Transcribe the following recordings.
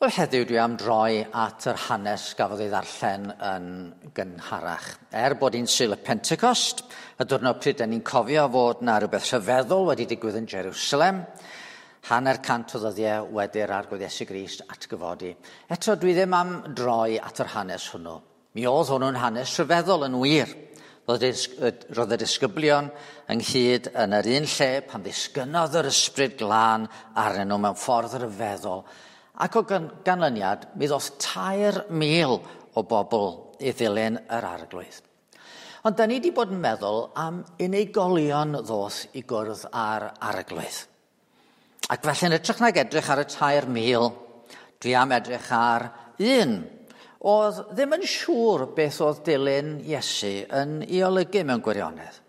Wel, heddiw dwi am droi at yr hanes gafodd ei ddarllen yn gynharach. Er bod hi'n Sul y Pentecost, y diwrnod pryd da ni'n cofio fod na rhywbeth rhyfeddol wedi digwydd yn Jerusalem, 150 o ddyddiau wedi'r Arglwydd Iesu Grist atgyfodi. Eto, dwi ddim am droi at yr hanes hwnnw. Mi oedd hwnnw'n hanes rhyfeddol yn wir. Roedd y disgyblion ynghyd yn yr un lle pan ddisgynnodd yr Ysbryd Glân arnyn nhw mewn ffordd ryfeddol. Ac o ganlyniad, mi ddoth 3,000 o bobl i ddilyn yr Arglwydd. Ond da ni wedi bod yn meddwl am unigolion ddoth i gwrdd â'r Arglwydd. Ac felly yn hytrach nag edrych ar y 3,000, dwi am edrych ar un oedd ddim yn siŵr beth oedd dilyn Iesu yn ei olygu mewn gwirionedd.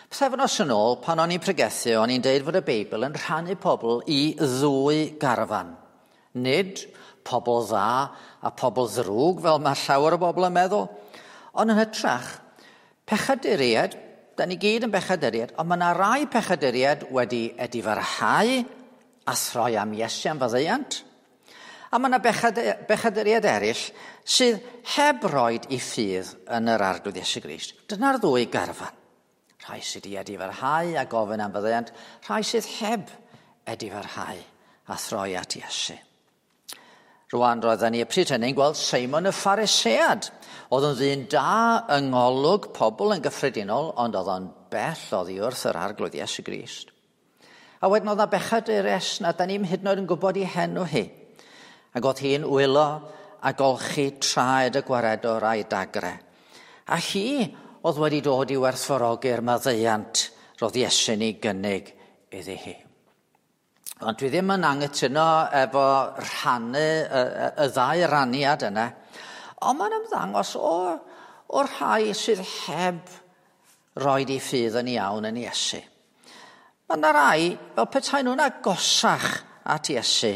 Pythefnos yn ôl, pan o'n i'n pregethu, o'n i'n deud fod y Beibl yn rhannu pobl i ddwy garfan. Nid pobl dda a pobl ddrwg, fel mae llawer o bobl yn meddwl, ond yn hytrach, pechaduriaid, da ni gyd yn bechaduriaid, ond mae yna rai pechaduriaid wedi edifarhau a throi am Iesu am faddeuant, a mae yna bechaduriaid eraill sydd heb roed i ffydd yn yr Arglwydd Iesu Grist. Dyna'r ddwy garfan. Rhai sydd wedi edifarhau a gofyn am faddeuant, rhai sydd heb edifarhau a throi at Iesu. Rwan roedden ni y pryd hynny'n gweld Seimon y Pharisead. Oedd yn ddyn da yng ngolwg pobl yn gyffredinol, ond oedd o'n bell oddi wrth yr Arglwydd Iesu Grist. A wedyn oedd 'na bechadures na da ni'm hyd yn oed yn gwybod ei henw hi. Ac oedd hi'n wylo a golchi traed y gwaredwr a'i dagre. A hi oedd wedi dod i werthfawrogi'r maddeuant roedd Iesu'n ei gynnig iddi hi. Ond dwi ddim yn anghytuno efo rhannu y ddau raniad yna, ond mae'n ymddangos o'r rhai sydd heb roed eu ffydd yn iawn yn Iesu. Mae yna rai fel petai nhw'n agosach at Iesu,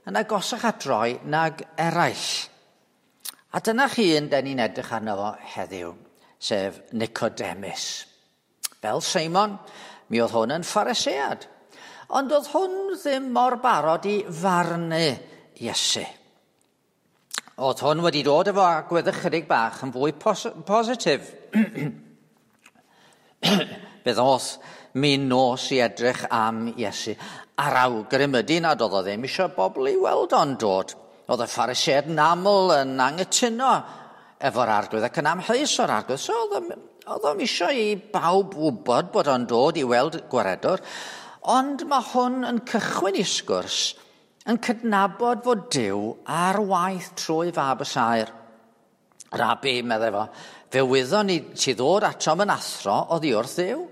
yn agosach at droi nag eraill. A dyna chi un den ni'n edrych arno fo heddiw, sef Nicodemus. Fel Seimon, mi oedd hwn yn Pharisead, ond oedd hwn ddim mor barod i farnu Iesu. Oedd hwn wedi dod efo agwedd ychydig bach yn fwy positif. Fe ddoth min nos i edrych am Iesu, a'r awgrym ydy nad oedd o ddim eisiau bobl i weld o'n dod. Oedd y Phariseaid yn aml yn anghytuno efo'r Arglwydd ac yn amheus o'r Arglwydd. So oedd o'm eisiau i bawb wybod bod o'n dod i weld gwaredwr. Ond mae hwn yn cychwyn i sgwrs yn cydnabod fod Duw ar waith trwy fab y saer. Rabi, meddai fo, fe wyddon ni ti ddod atom yn athro oddi wrth Dduw.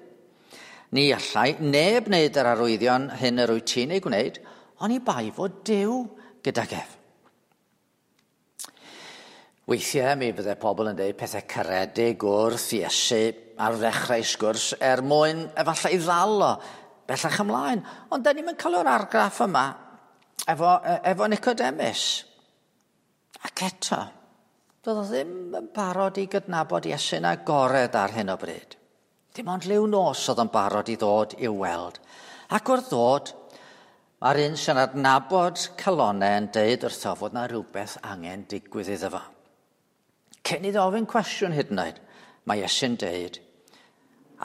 Ni allai neb wneud yr arwyddion hyn yr wyt ti'n ei gwneud, oni bai fod Duw gydag ef. Weithiau mi fydde pobl yn dweud pethau caredig wrth Iesu ar ddechrau sgwrs er mwyn efallai ddal o bellach ymlaen. Ond da ni'm yn cael yr argraff yma efo Nicodemus. Ac eto, doedd o ddim yn barod i gydnabod Iesu'n agored ar hyn o bryd. Dim ond liw nos oedd yn barod i ddod i'w weld. Ac wrth ddod, mae'r un sy'n adnabod calonau yn deud wrtho fod na rhywbeth angen digwydd iddo fo. Cyn iddo ofyn cwestiwn hyd yn oed, mae Iesu'n deud,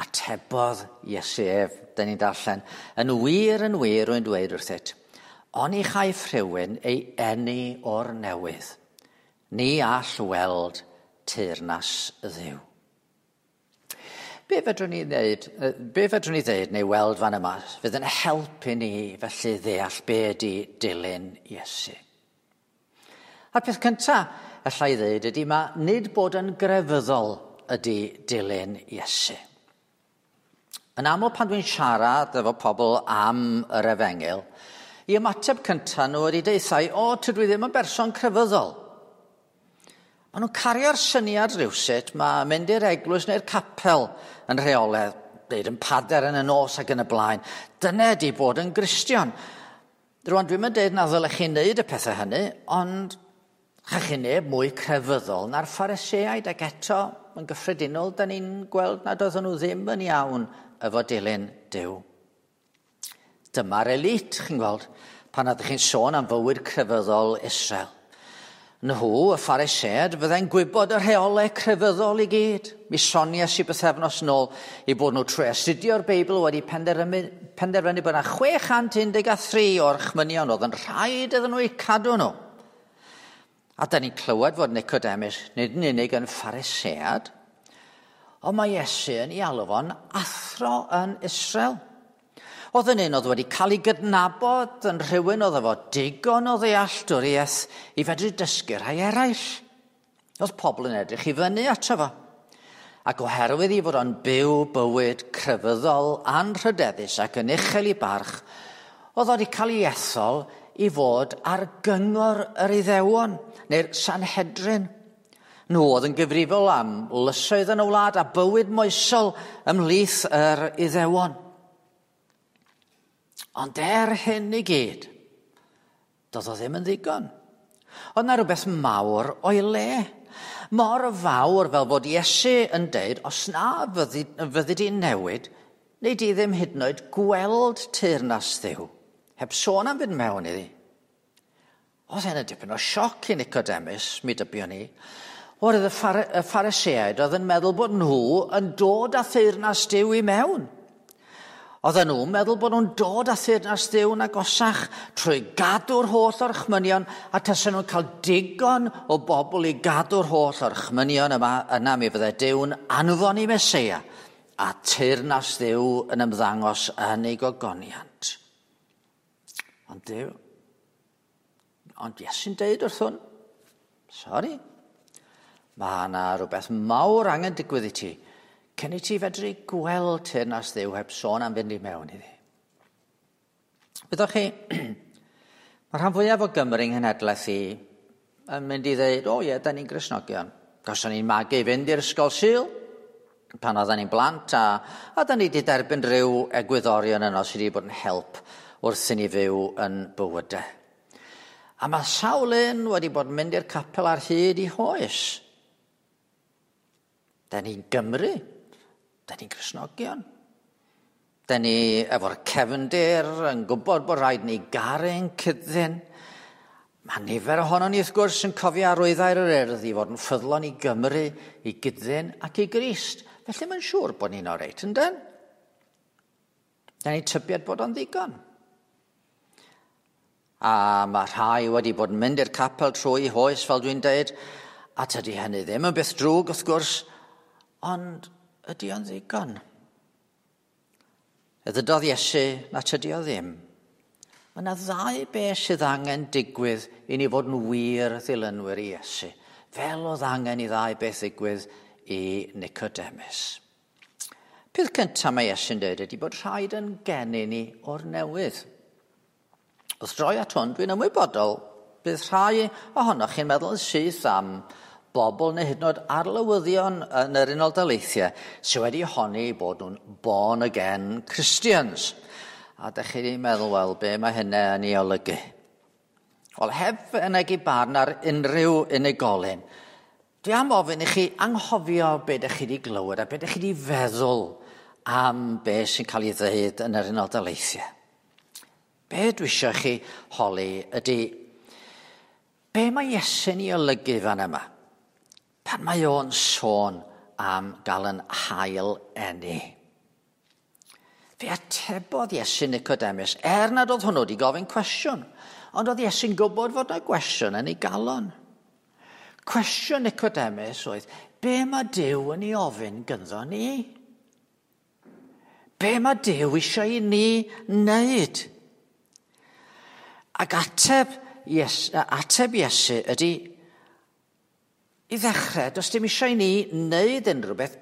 atebodd Iesu ef, dyn ni'n darllen, yn wir, yn wir, rwy'n dweud wrthyt, oni chaiff rhywun ei eni o'r newydd, ni all weld teyrnas Dduw. Be fedrwn ni wneud, be fedrwn ni ddeud neu weld fan yma fydd yn helpu ni felly ddeall be ydy dilyn Iesu? A'r peth cynta alla i ddeud ydy ma nid bod yn grefyddol ydy dilyn Iesu. Yn aml pan dwi'n siarad efo pobl am yr efengyl, i ymateb cynta nhw ydy deuthau, o, tydw i ddim yn berson crefyddol. Maen nhw'n cario'r syniad rhywsut, mae mynd i'r eglwys neu'r capel yn rheolaidd, deud yn pader yn y nos ac yn y blaen. Dyna ydy bod yn Gristion. Rwan, dwi'm yn deud na ddylech chi wneud y pethau hynny, ond chach chi neb mwy crefyddol na'r Phariseaid, ac eto, yn gyffredinol, da ni'n gweld nad oedden nhw ddim yn iawn efo dilyn Duw. Dyma'r elite, chi'n gweld. Pan ydych chi'n sôn am fywyd crefyddol Israel. Nhw, y Phariseaid, fyddai'n gwybod y rheolau crefyddol i gyd. Mi soniais i bythefnos nôl i bod nhw trwy astudio'r Beibl wedi penderfynu bod yna 613 o'r chmynion oedd yn rhaid iddyn nhw eu cadw nhw. A da ni'n clywed fod Nicodemus nid yn unig yn Pharisead, ond mae Iesu yn ei alw fo'n athro yn Israel. Oedd yn un oedd wedi cael ei gydnabod yn rhywun oedd efo digon o ddealltwriaeth i fedru dysgu rhai eraill. Oedd pobl yn edrych i fyny ato fo. Ac oherwydd i fod o'n byw bywyd crefyddol anrhydeddus ac yn uchel i barch, oedd o wedi cael ei ethol i fod ar gyngor yr Iddewon, neu'r Sanhedrin. Nhw oedd yn gyfrifol am lysoedd yn y wlad a bywyd moesol ymhlith yr Iddewon. Ond er hyn i gyd, doedd o ddim yn ddigon. Oedd na rhywbeth mawr o'i le. Mor fawr fel bod Iesu yn deud, os na fyddi, fyddi di'n newid, neu di ddim hyd yn oed gweld teyrnas Dduw, heb sôn am fynd mewn iddi. Oedd hyn yn dipyn o sioc i Nicodemus, mi dybion ni. Oherwydd y, phar y Phariseaid oedd yn meddwl bod nhw yn dod â theyrnas Duw i mewn. Oedden nhw'n meddwl bod nhw'n dod â theyrnas Dduw'n agosach trwy gadw'r holl orchmynion a tasen nhw'n cael digon o bobl i gadw'r holl orchmynion yma, yna mi fydde Duw'n anfon i Meseia a teyrnas Dduw yn ymddangos yn ei gogoniant. Ond Duw, ond Iesu'n deud wrth hwn, sori, mae yna rhywbeth mawr angen digwydd i ti cyn i ti fedru gweld teyrnas Dduw heb sôn am fynd i mewn iddi. Wyddoch chi, mae rhan fwyaf o Gymru yng nghenhedlaeth i yn mynd i ddeud, o ie, da ni'n Gristnogion. Gawson ni'n magu i fynd i'r ysgol Sul, pan oedden ni'n blant, a, a da ni wedi derbyn rhyw egwyddorion yno sydd wedi bod yn help wrth i ni fyw yn bywydau. A mae sawl un wedi bod yn mynd i'r capel ar hyd i hoes. Da ni'n Gymru. Da ni'n Gristnogion. Da ni efo'r cefndir yn gwybod bod rhaid ni garu'n cyddyn. Mae nifer ohonon ni wrth gwrs yn cofio arwyddau'r yr Urdd i fod yn ffyddlon i Gymru, i gyddyn ac i Grist. Felly mae'n siŵr bod ni'n oreit, yndyn? Da ni'n tybied bod o'n ddigon. A mae rhai wedi bod yn mynd i'r capel trwy hoes, fel dwi'n deud, a tydi hynny ddim yn beth drwg, wrth gwrs, ond ydy o'n ddigon? Y ddydodd Iesu na tydi o ddim. Mae yna ddau beth sydd angen digwydd i ni fod yn wir ddilynwyr i Iesu, fel oedd angen i ddau beth ddigwydd i Nicodemus. Peth cyntaf mae Iesu'n dweud ydy bod rhaid yn geni ni o'r newydd. Wrth droi at hwn, dwi'n ymwybodol bydd rhai ohonoch chi'n meddwl yn syth am bobl neu hyd yn oed arlywyddion yn yr Unol Daleithiau sydd wedi honni bod nhw'n born again Christians. A dych chi'n meddwl, wel, be mae hynny yn ei olygu? Wel, heb fynegi barn ar unrhyw unigolyn, dwi am ofyn i chi anghofio be ydych chi wedi glywed a be ydych chi wedi feddwl am be sy'n cael ei ddweud yn yr Unol Daleithiau. Be dwi eisiau chi holi ydy, be mae Iesu'n ei olygu fan yma? Pan mae o'n sôn am gael yn hail eni. Fe atebodd Iesu Nicodemus, er nad oedd hwnnw wedi gofyn cwestiwn, ond oedd Iesu'n gwybod fod yna gwestiwn yn ei galon. Cwestiwn Nicodemus oedd, be mae Duw yn ei ofyn gynddo ni? Be mae Duw eisiau i ni wneud? Ac ateb, yes, ateb Iesu ydy, i ddechrau, does dim eisiau i ni wneud unrhyw beth.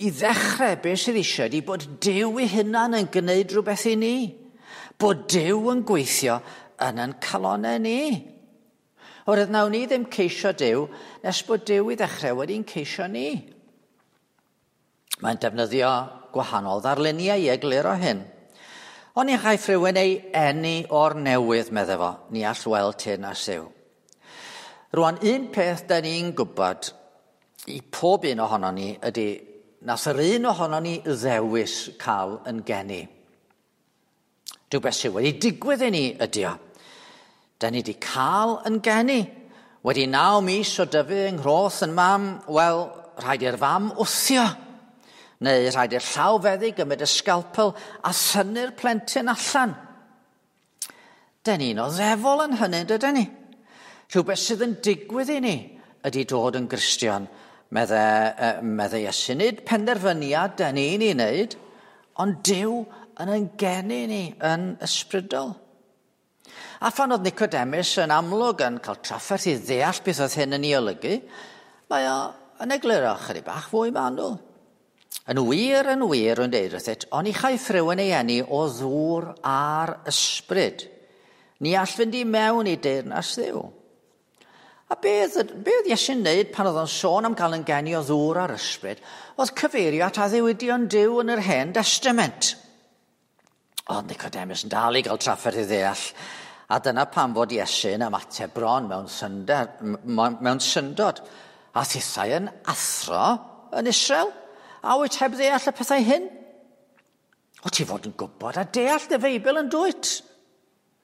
I ddechrau, beth sydd eisiau ydy bod Duw ei hunan yn gwneud rhywbeth i ni. Bod Duw yn gweithio yn ein calonau ni. Oherwydd nawn ni ddim ceisio Duw nes bod Duw i ddechrau wedi'n ceisio ni. Mae'n defnyddio gwahanol ddarluniau i egluro hyn. Ond ni chaiff rhywun ei eni o'r newydd, medde fo, ni all weld teyrnas Dduw. Rwan, un peth da ni'n gwybod i pob un ohono ni ydy nath yr un ohono ni ddewis cael yn geni. Rhywbeth sydd wedi digwydd i ni ydy o. Da ni wedi cael yn geni. Wedi 9 mis o dyfu yng nghroth yn mam, wel, rhaid i'r fam wthio. Neu rhaid i'r llawfeddyg gymryd y sgalpel a thynnu'r plentyn allan. Da ni'n oddefol yn hynny, dydyn ni? Rhywbeth sydd yn digwydd i ni ydy dod yn Gristion, medde Iesu. Nid penderfyniad da ni'n ei wneud, ond Duw yn ein geni ni yn ysbrydol. A phan oedd Nicodemus yn amlwg yn cael trafferth i ddeall beth oedd hyn yn ei olygu, mae o yn egluro chydig bach fwy manwl. Yn wir, rwy'n deud wrthyt, oni chaiff rhywun ei eni o ddŵr a'r ysbryd. Ni all fynd i mewn i deyrnas Dduw. A beth oedd Iesu'n wneud pan oedd o'n sôn am gael yn geni o ddŵr a'r ysbryd, oedd cyfeirio at addewidion Duw yn yr Hen Testament. Oedd Nicodemus yn dal i gael trafferth i ddeall, a dyna pam fod Iesu'n ymateb bron mewn syndod. A thithau yn athro yn Israel, a wyt heb ddeall y pethau hyn? O ti fod yn gwybod a deall dy Feibl yn dwyt?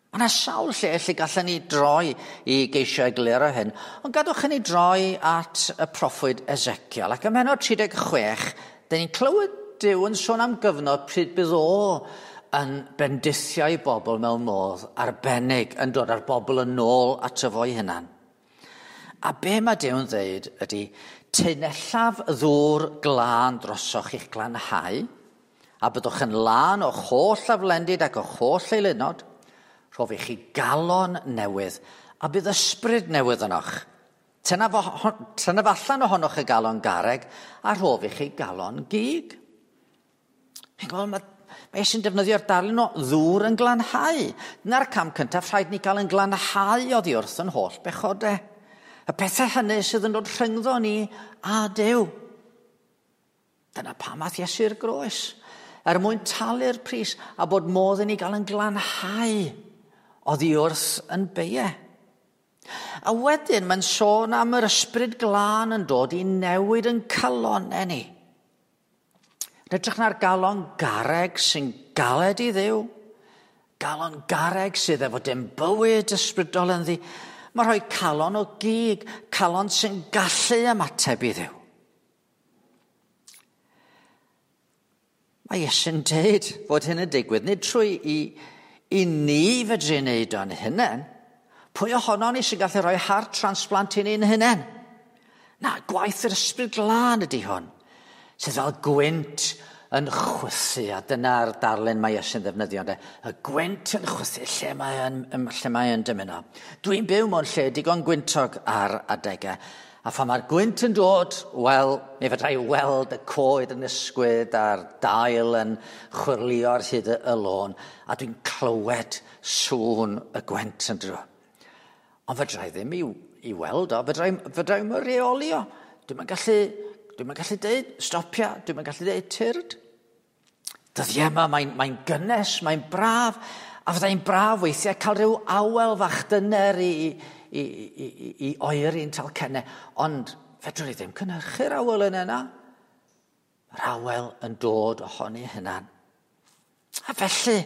Mae yna sawl lle gallen ni droi i geisio egluro hyn, ond gadwch i ni droi at y proffwyd Ezekiel. Ac ym mhennod 36, dyn ni'n clywed Duw yn sôn am gyfnod pryd bydd o yn bendithio ei bobl mewn modd arbennig, yn dod â'r bobl yn ôl ato fo'i hunan. A be mae Duw'n dweud ydy, teunellaf ddŵr glân drosoch i'ch glanhau, a byddwch yn lân o'ch holl aflendid ac o'ch holl eilunod, rhof i chi galon newydd, a bydd ysbryd newydd ynoch. Tynnaf allan ohonoch y galon garreg, a rhof i chi galon gig. Chi'n gweld, mae Iesu'n defnyddio'r darlun o ddŵr yn glanhau. Dyna'r cam cyntaf, rhaid ni gael yn glanhau oddi wrth yn holl bechodau. Y pethau hynny sydd yn dod rhyngddo ni a Duw. Dyna pam ath Iesu'r groes. Er mwyn talu'r pris a bod modd i ni gael yn glanhau oddi wrth yn beiau. A wedyn mae'n sôn am yr ysbryd glân yn dod i newid yn calonnau ni. Yn edrych na'r galon garreg sy'n galed i Dduw, galon garreg sydd efo dim bywyd ysbrydol ynddi, mae rhoi calon o gig, calon sy'n gallu ymateb i Dduw. Mae Iesu'n deud fod hyn yn digwydd, nid trwy i ni fedru wneud o'n hunain. Pwy ohonon ni sy'n gallu rhoi heart transplant i ni'n hunain? Na, gwaith yr ysbryd glân ydy hwn, sydd fel gwynt yn chwythu, a dyna'r darlun mae Iesu'n ddefnyddio, ynde? Y gwynt yn chwythu lle mae yn dymuno. Dwi'n byw mewn lle digon gwyntog ar adegau, a phan mae'r gwynt yn dod, wel, mi fedra i weld y coed yn ysgwyd a'r dail yn chwyrlïo ar hyd y lôn, a dwi'n clywed sŵn y gwynt yn dod. Ond fedra i ddim i weld o, fedra i'm reoli o. Dwi'm yn gallu deud stopia, dwi'm yn gallu deud tyrd. Dyddiau yma mae'n gynnes, mae'n braf, a fyddai'n braf weithiau cael rhyw awel fach dyner i oeri'n talcennau, ond fedrwn ni ddim cynhyrchu'r awel yna na. Mae'r awel yn dod ohoni hunan. A felly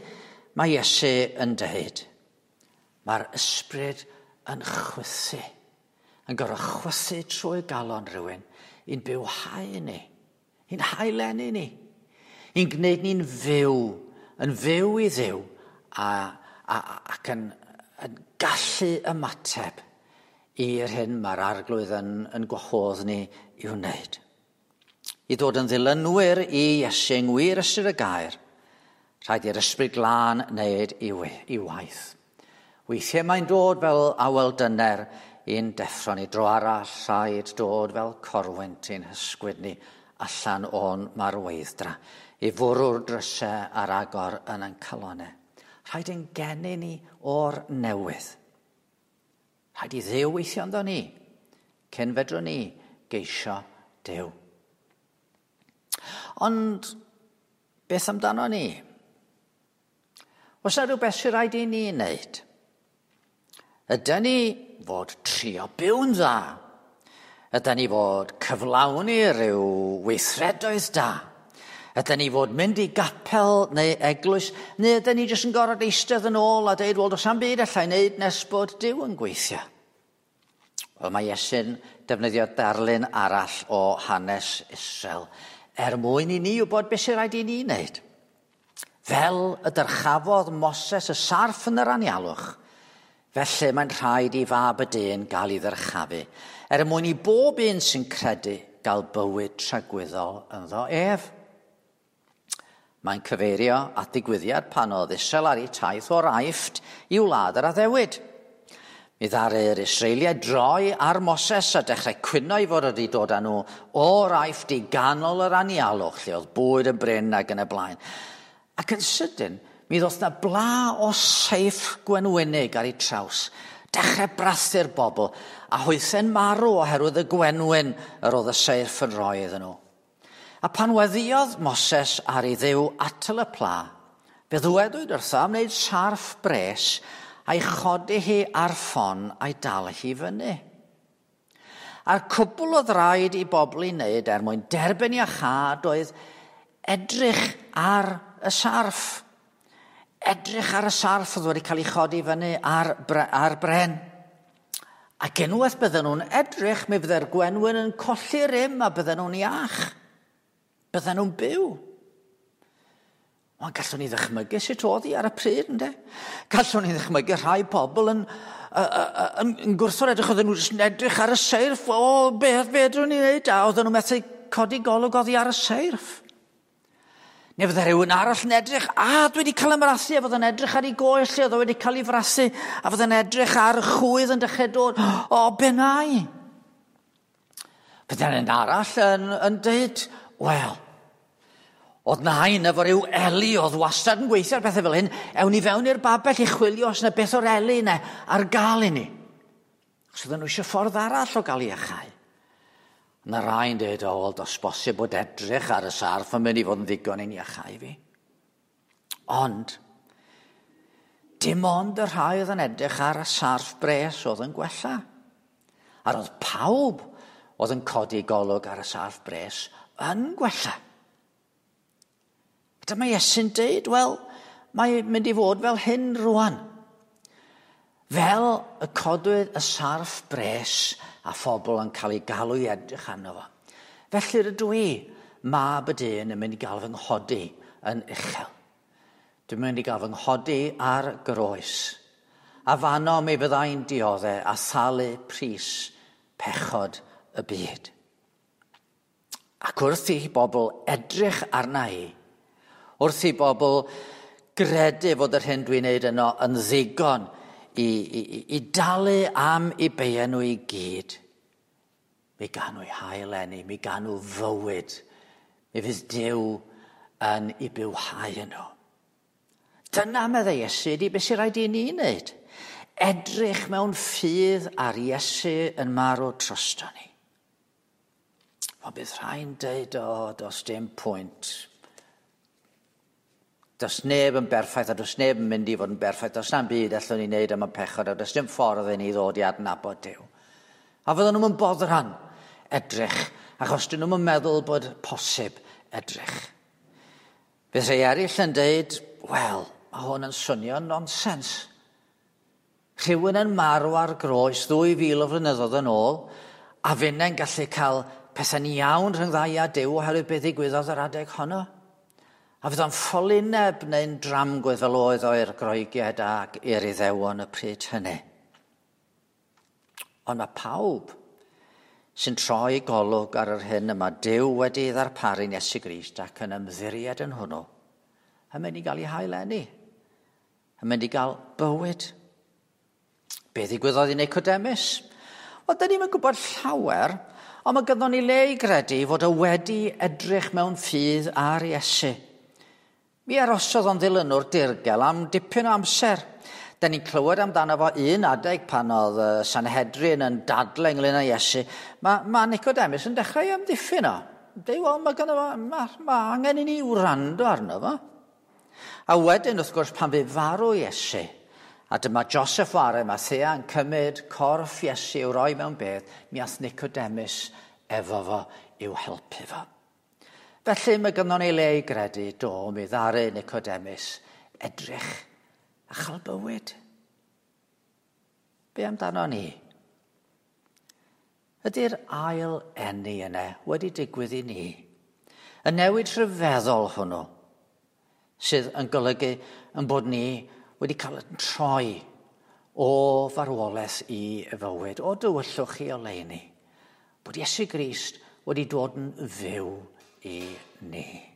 mae Iesu yn dweud, mae'r ysbryd yn chwythu, yn gorfod chwythu trwy galon rhywun, i'n bywhau ni, i'n haelenu ni, i'n gwneud ni'n fyw, yn fyw i Dduw, ac yn gallu ymateb i'r hyn mae'r Arglwydd yn gwahodd ni i'w wneud. I ddod yn ddilynwyr i Iesu yng ngwir ystyr y gair, rhaid i'r ysbryd glân wneud i waith. Weithiau mae'n dod fel awel dyner i'n deffro ni, dro arall rhaid dod fel corwynt i'n hysgwyd ni allan o'n marweidd-dra, i fwrw'r drysau ar agor yn ein calonnau. Rhaid ein geni ni o'r newydd. Rhaid i Dduw weithio ynddo ni, cyn fedrwn ni geisio Duw. Ond beth amdano ni? Oes yna rhywbeth sy'n rhaid i ni wneud? Ydy ni fod trio byw'n dda? Ydy ni fod cyflawni rhyw weithredoedd da? Ydyn ni fod mynd i gapel neu eglwys, neu ydyn ni jyst yn gorfod eistedd yn ôl a deud, wel, does am byd allai wneud nes bod Duw yn gweithio. Wel, mae Iesu'n defnyddio darlun arall o hanes Israel er mwyn i ni wybod beth sy'n rhaid i ni wneud. Fel y dyrchafodd Moses y sarff yn yr anialwch, felly mae'n rhaid i fab y dyn gael ei ddyrchafu, er mwyn i bob un sy'n credu gael bywyd tragwyddol ynddo ef. Mae'n cyfeirio at ddigwyddiad pan oedd Israel ar ei taith o'r Aifft i wlad yr addewid. Mi ddaru'r Israeliaid droi ar Moses a dechrau cwyno i fod wedi dod â nhw o'r Aifft i ganol yr anialwch, lle oedd bwyd yn brin ac yn y blaen. Ac yn sydyn, mi ddoth na bla o seirff gwenwynig ar ei traws. Dechrau brathu'r bobl, a hwythau'n marw oherwydd y gwenwyn yr oedd y seirff yn rhoi iddyn nhw. A pan weddïodd Moses ar ei Dduw atal y pla, fe ddywedwyd wrtho am wneud sarff bres a'i chodi hi ar ffon a'i dal hi fyny. A'r cwbl oedd rhaid i bobl ei wneud er mwyn derbyn iachâd oedd edrych ar y sarff. Edrych ar y sarff oedd wedi cael ei chodi fyny ar, ar bren. Ac unwaith bydden nhw'n edrych, mi fydde'r gwenwyn yn colli rym a bydden nhw'n iach. Bydden nhw'n byw. Ond gallwn ni ddychmygu sut oedd hi ar y pryd, ynddo? Gallwn ni ddychmygu rhai pobl yn, yn, yn gwrthod edrych, oedden nhw jyst yn edrych ar y seirff, o, beth fedrwn ni wneud? A oedden nhw methu codi golwg oddi ar y seirff. Neu fydde rhywun arall yn edrych, a dwi wedi cael 'y mrathu, a fydde'n edrych ar ei goes lle oedd o wedi cael ei frathu, a fydde'n edrych ar y chwydd yn dechrau dod, o, be nai? Fydde'n un arall yn, yn deud, wel, oedd nain efo rhyw eli oedd wastad yn gweithio ar bethau fel hyn, ewn ni fewn i'r babell i chwilio os yna beth o'r eli yna ar gael i ni. Os oedden nhw eisiau ffordd arall o gael iachau. Yna rhai'n dweud, o, wel, does bosib bod edrych ar y sarff yn mynd i fod yn ddigon i'n iachau fi. Ond, dim ond y rhai oedd yn edrych ar y sarff bres oedd yn gwella. A roedd pawb oedd yn codi golwg ar y sarff bres yn gwella. Dyma Iesu'n deud, wel, mae'n mynd i fod fel hyn rwan. Fel y codwyd y sarff bres a phobl yn cael ei galw i edrych arno fo. Felly rydw i, mab y dyn, yn mynd i gael fy nghodi yn uchel. Dwi'n mynd i gael fy nghodi ar groes. A fanno mi fyddai'n diodde a thalu pris pechod y byd. Ac wrth i bobl edrych arna i, wrth i bobl gredu fod yr hyn dwi'n neud yno yn ddigon i, i, i dalu am i beia nhw i gyd, mi gan nhw hael enni, mi gan nhw fywyd, mi fydd Duw yn i bywhau nhw. Dyna meddai Iesu, ydy beth sy'n rhaid i ni wneud. Edrych mewn ffydd ar Iesu yn marw drosto ni. Ond bydd rhai'n deud, o, does dim pwynt. Does neb yn berffaith a does neb yn mynd i fod yn berffaith. Does na'm byd allwn ni wneud am y pechod a does dim ffordd i ni ddod i adnabod Duw. A fydden nhw'n boddran edrych, achos dyn nhw'n meddwl bod posib edrych. Bydd rhai eraill yn deud, wel, mae hwn yn swnio nonsens. Rhywun yn marw ar groes 2000 o flynyddoedd yn ôl, a finne'n gallu cael pethau'n iawn rhwng ddau a Duw oherwydd beth ddigwyddodd yr adeg honno. A fydd o'n ffolineb neu'n dramgwydd fel oedd o i'r Groegiaid ac i'r Iddewon y pryd hynny. Ond mae pawb sy'n troi golwg ar yr hyn y mae Duw wedi ei ddarparu'n Iesu Grist ac yn ymddiried yn hwnnw, yn mynd i gael ei haileni, yn mynd i gael bywyd. Be ddigwyddodd i Nicodemus? Wel, dyn ni'n gwybod llawer, ond mae gynnon ni le i gredu fod o wedi edrych mewn ffydd ar Iesu. Mi arosodd o'n ddilynwr dirgel am dipyn o amser. Da ni'n clywed amdano fo un adeg pan oedd Sanhedrin yn dadle ynglyn â Iesu. Mae, mae Nicodemus yn dechrau amddiffyn o. Deud, wel, mae, gynno fo, mae, mae angen i ni wrando arno fo. A wedyn, wrth gwrs, pan fu farw Iesu, a dyma Joseph o Arimathea yn cymryd corff Iesu i'w roi mewn bedd, mi ath Nicodemus efo fo i'w helpu fo. Felly mae gynnon ni le i gredu do mi ddaru Nicodemus edrych a chael bywyd. Be amdano ni? Ydy'r ail eni yna wedi digwydd i ni? Y newid rhyfeddol hwnnw sydd yn golygu yn bod ni wedi cael yn troi o farwolaeth i fywyd, o dywyllwch i oleuni. Bod Iesu Grist wedi dod yn fyw i ni.